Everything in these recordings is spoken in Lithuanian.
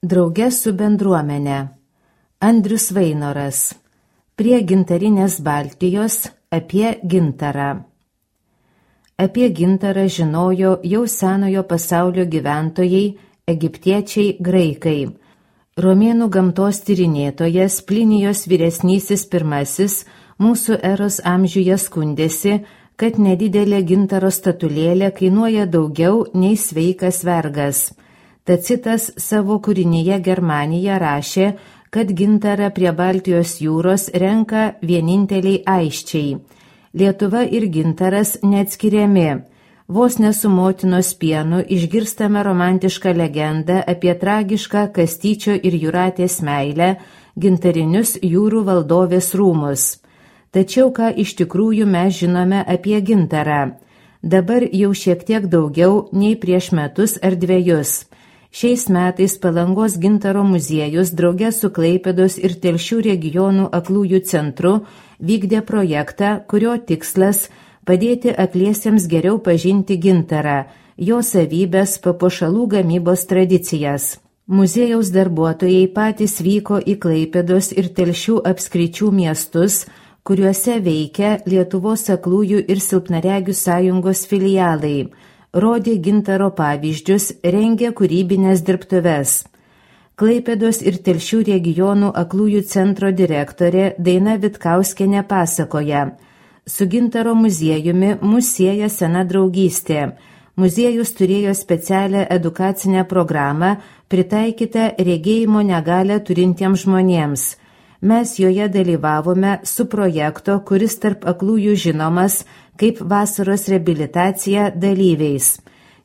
Drauge su bendruomene. Andrius Vainoras. Prie gintarinės Baltijos apie gintarą. Apie gintarą žinojo jau senojo pasaulio gyventojai, egiptiečiai, graikai. Romėnų gamtos tyrinėtojas Plinijos vyresnysis pirmasis mūsų eros amžiuje skundėsi, kad nedidelė gintaro statulėlė kainuoja daugiau nei sveikas vergas. Tacitas savo kūrinyje Germanija rašė, kad gintarą prie Baltijos jūros renka vieninteliai aisčiai. Lietuva ir gintaras neatskiriami. Vos ne su motinos pienu išgirstame romantišką legendą apie tragišką Kastyčio ir Jūratės meilę, gintarinius jūrų valdovės rūmus. Tačiau ką iš tikrųjų mes žinome apie gintarą? Dabar jau šiek tiek daugiau nei prieš metus ar dvejus. Šiais metais Palangos gintaro muziejus drauge su Klaipėdos ir Telšių regionų aklųjų centru vykdė projektą, kurio tikslas padėti akliesiems geriau pažinti gintarą, jo savybes, papuošalų gamybos tradicijas. Muziejaus darbuotojai patys vyko į Klaipėdos ir Telšių apskričių miestus, kuriuose veikia Lietuvos aklųjų ir silpnaregių sąjungos filialai, rodė gintaro pavyzdžius, rengė kūrybinės dirbtuves. Klaipėdos ir Telšių regionų aklųjų centro direktorė Daina Vitkauskienė pasakoja: su gintaro muziejumi mus sieja sena draugystė. Muziejus turėjo specialią edukacinę programą pritaikytą regėjimo negalią turintiems žmonėms. Mes joje dalyvavome su projekto, kuris tarp aklųjų žinomas kaip vasaros reabilitacija dalyviais.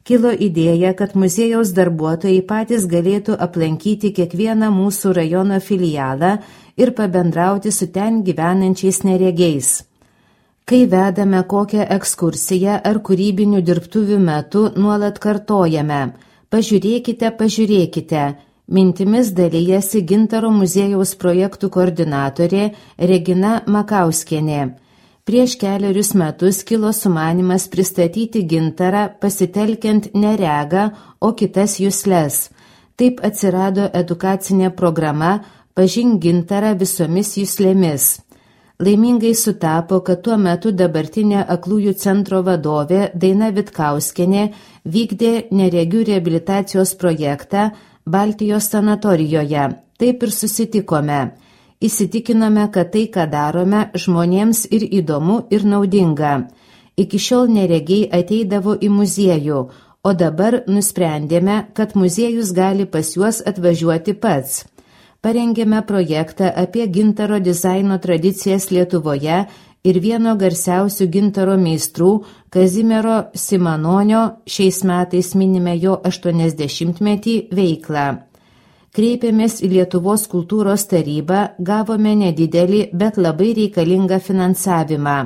Kilo idėja, kad muziejaus darbuotojai patys galėtų aplankyti kiekvieną mūsų rajono filialą ir pabendrauti su ten gyvenančiais neregiais. Kai vedame kokią ekskursiją ar kūrybinių dirbtuvių metu nuolat kartojame: pažiūrėkite, pažiūrėkite. Mintimis dalyjasi gintaro muziejaus projektų koordinatorė Regina Makauskienė. Prieš kelerius metus kilo sumanymas pristatyti gintarą pasitelkiant ne regą, o kitas jusles. Taip atsirado edukacinė programa Pažink gintarą visomis juslėmis. Laimingai sutapo, kad tuo metu dabartinė aklųjų centro vadovė Daina Vitkauskienė vykdė neregių reabilitacijos projektą Baltijos sanatorijoje. Taip ir susitikome. Įsitikinome, kad tai, ką darome, žmonėms ir įdomu, ir naudinga. Iki šiol neregiai ateidavo į muziejų, o dabar nusprendėme, kad muziejus gali pas juos atvažiuoti pats. Parengėme projektą apie gintaro dizaino tradicijas Lietuvoje ir vieno garsiausių gintaro meistrų Kazimiero Simanonio, šiais metais minime jo 80-metį, veiklą. Kreipėmės į Lietuvos kultūros tarybą, gavome nedidelį, bet labai reikalingą finansavimą.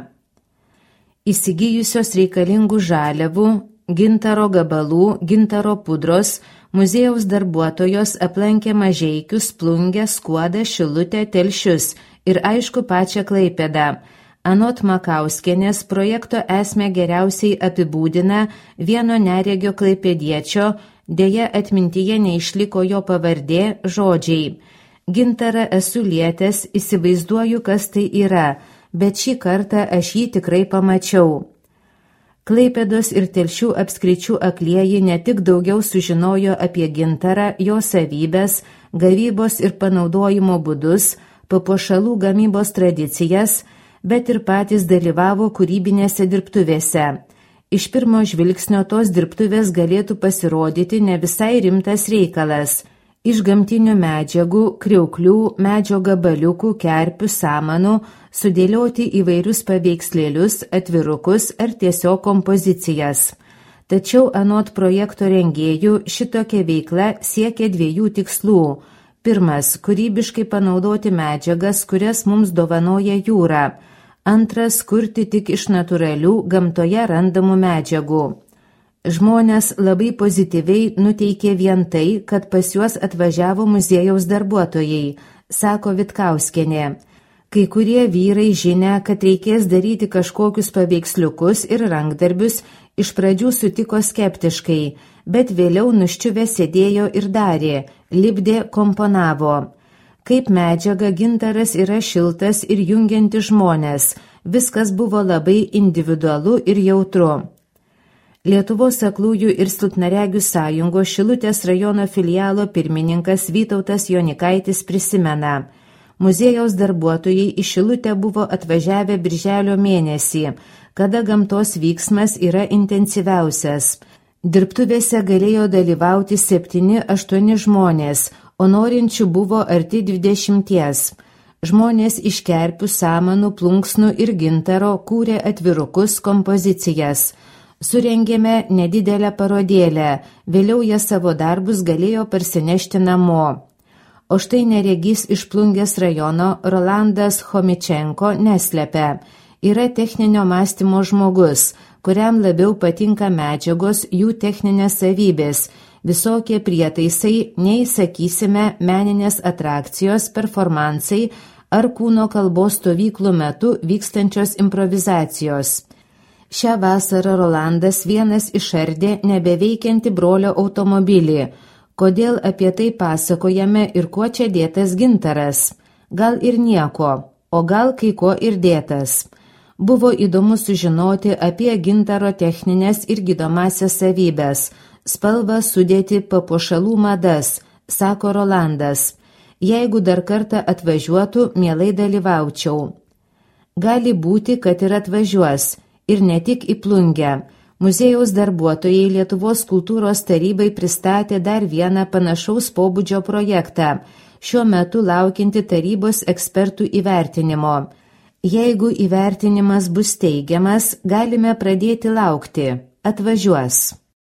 Įsigijusios reikalingų žaliavų, gintaro gabalų, gintaro pudros, muziejaus darbuotojos aplankė Mažeikius, Plungę, Skuodą, Šilutę, Telšius ir aišku pačią Klaipėdą. Anot Makauskienės projekto esmę geriausiai apibūdina vieno neregio klaipėdiečio, deja atmintyje neišliko jo pavardė, žodžiai: gintarą esu lietęs, įsivaizduoju, kas tai yra, bet šį kartą aš jį tikrai pamačiau. Klaipėdos ir Telšių apskričių aklieji ne tik daugiau sužinojo apie gintarą, jo savybes, gavybos ir panaudojimo būdus, papuošalų gamybos tradicijas, bet ir patys dalyvavo kūrybinėse dirbtuvėse. Iš pirmo žvilgsnio tos dirbtuvės galėtų pasirodyti ne visai rimtas reikalas. Iš gamtinių medžiagų, kriauklių, medžio gabaliukų, kerpių, samanų sudėlioti įvairius paveikslėlius, atvirukus ar tiesiog kompozicijas. Tačiau anot projekto rengėjų šitokia veikla siekia dviejų tikslų. Pirmas – kūrybiškai panaudoti medžiagas, kurias mums dovanoja jūra. Antras – kurti tik iš natūralių gamtoje randamų medžiagų. Žmonės labai pozityviai nuteikė vien tai, kad pas juos atvažiavo muziejaus darbuotojai, sako Vitkauskienė. Kai kurie vyrai žinia, kad reikės daryti kažkokius paveiksliukus ir rankdarbius, iš pradžių sutiko skeptiškai, bet vėliau nuščiuvę sėdėjo ir darė, lipdė, komponavo. Kaip medžiaga gintaras yra šiltas ir jungiantis žmonės, viskas buvo labai individualu ir jautru. Lietuvos aklųjų ir silpnaregių sąjungos Šilutės rajono filialo pirmininkas Vytautas Jonikaitis prisimena, muziejaus darbuotojai į Šilutę buvo atvažiavę birželio mėnesį, kada gamtos vyksmas yra intensyviausias. Dirbtuvėse galėjo dalyvauti 7-8 žmonės, o norinčių buvo arti 20. Žmonės iš kerpių, samanų, plunksnų ir gintaro kūrė atvirukus, kompozicijas. Surengėme nedidelę parodėlę, vėliau jie savo darbus galėjo parsinešti namo. O štai neregys iš Plungės rajono Rolandas Chomičenko neslepia. Yra techninio mąstymo žmogus, kuriam labiau patinka medžiagos, jų techninės savybės, visokie prietaisai, nei, sakysime, meninės atrakcijos, performansai ar kūno kalbos stovyklų metu vykstančios improvizacijos. Šią vasarą Rolandas vienas išardė nebeveikiantį brolio automobilį. Kodėl apie tai pasakojame ir kuo čia dėtas gintaras? Gal ir nieko, o gal kai ko ir dėtas. Buvo įdomu sužinoti apie gintaro techninės ir gydomasias savybės, spalvą, sudėti, papuošalų madas, sako Rolandas. Jeigu dar kartą atvažiuotų, mielai dalyvaučiau. Gali būti, kad ir atvažiuos, ir ne tik į Plungę. Muziejaus darbuotojai Lietuvos kultūros tarybai pristatė dar vieną panašaus pobūdžio projektą, šiuo metu laukianti tarybos ekspertų įvertinimo. Jeigu įvertinimas bus teigiamas, galime pradėti laukti. Atvažiuos.